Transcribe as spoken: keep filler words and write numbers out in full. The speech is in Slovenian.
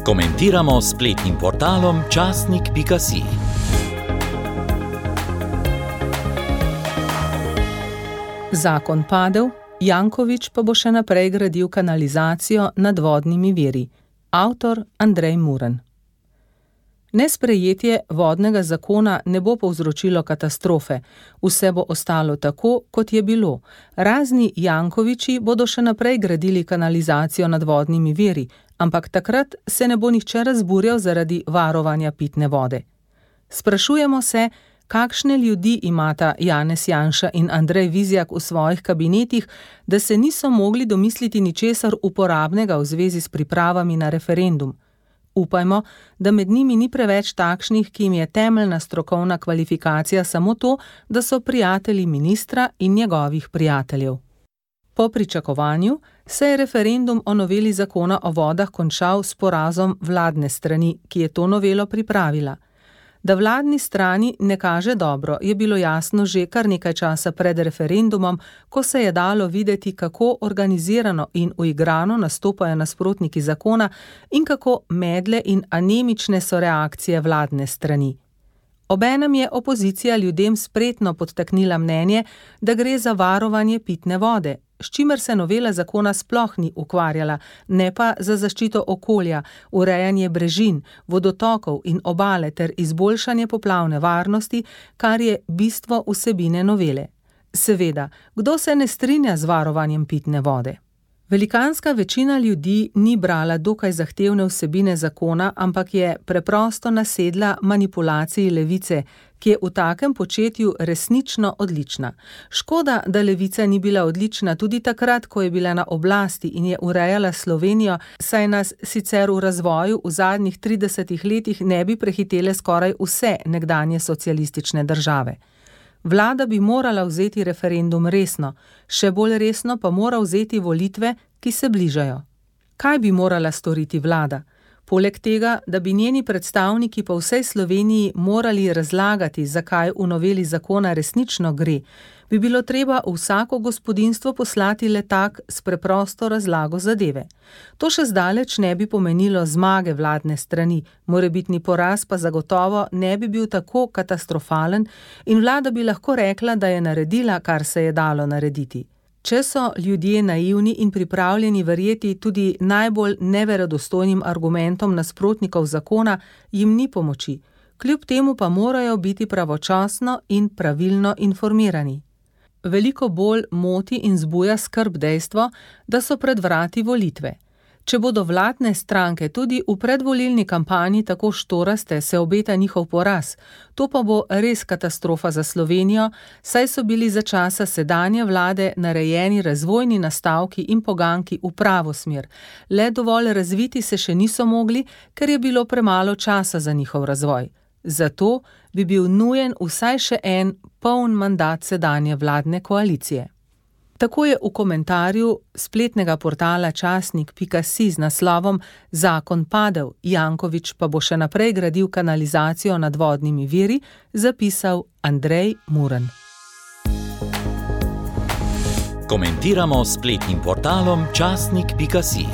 Komentiramo s spletnim portalom časnik pika si. Zakon padel, Janković pa bo še naprej gradil kanalizacijo nad vodnimi viri. Avtor Andrej Muren. Nesprejetje vodnega zakona ne bo povzročilo katastrofe, vse bo ostalo tako, kot je bilo. Razni Jankovići bodo še naprej gradili kanalizacijo nad vodnimi viri, ampak takrat se ne bo nihče razburjal zaradi varovanja pitne vode. Sprašujemo se, kakšne ljudi imata Janez Janša in Andrej Vizjak v svojih kabinetih, da se niso mogli domisliti ničesar uporabnega v zvezi s pripravami na referendum. Upajmo, da med njimi ni preveč takšnih, ki jim je temeljna strokovna kvalifikacija samo to, da so prijatelji ministra in njegovih prijateljev. Po pričakovanju se je referendum o noveli zakona o vodah končal s porazom vladne strani, ki je to novelo pripravila. Da vladni strani ne kaže dobro, je bilo jasno že kar nekaj časa pred referendumom, ko se je dalo videti, kako organizirano in uigrano nastopajo nasprotniki zakona in kako medle in anemične so reakcije vladne strani. Obenem je opozicija ljudem spretno podtaknila mnenje, da gre za varovanje pitne vode, s čimer se novela zakona sploh ni ukvarjala, ne pa za zaščito okolja, urejanje brežin, vodotokov in obale ter izboljšanje poplavne varnosti, kar je bistvo vsebine novele. Seveda, kdo se ne strinja z varovanjem pitne vode? Velikanska večina ljudi ni brala dokaj zahtevne vsebine zakona, ampak je preprosto nasedla manipulaciji levice, ki je v takem početju resnično odlična. Škoda, da levica ni bila odlična tudi takrat, ko je bila na oblasti in je urejala Slovenijo, saj nas sicer v razvoju v zadnjih tridesetih letih ne bi prehitele skoraj vse nekdanje socialistične države. Vlada bi morala vzeti referendum resno, še bolj resno pa mora vzeti volitve, ki se bližajo. Kaj bi morala storiti vlada? Poleg tega, da bi njeni predstavniki po vsej Sloveniji morali razlagati, zakaj v noveli zakona resnično gre, bi bilo treba v vsako gospodinjstvo poslati letak s preprosto razlago zadeve. To še zdaleč ne bi pomenilo zmage vladne strani, morebitni poraz pa zagotovo ne bi bil tako katastrofalen in vlada bi lahko rekla, da je naredila, kar se je dalo narediti. Če so ljudje naivni in pripravljeni verjeti tudi najbolj neverodostojnim argumentom nasprotnikov zakona, jim ni pomoči, kljub temu pa morajo biti pravočasno in pravilno informirani. Veliko bolj moti in zbuja skrb dejstvo, da so pred vrati volitve. Če bodo vladne stranke tudi v predvolilni kampanji tako štoraste, se obeta njihov poraz. To pa bo res katastrofa za Slovenijo, saj so bili za časa sedanje vlade narejeni razvojni nastavki in poganki v pravo smer. Le dovolj razviti se še niso mogli, ker je bilo premalo časa za njihov razvoj. Zato bi bil nujen vsaj še en poln mandat sedanje vladne koalicije. Tako je v komentarju spletnega portala časnik pika si z naslovom Zakon padel, Janković pa bo še naprej gradil kanalizacijo nad vodnimi viri, zapisal Andrej Muren. Komentiramo s spletnim portalom časnik pika si.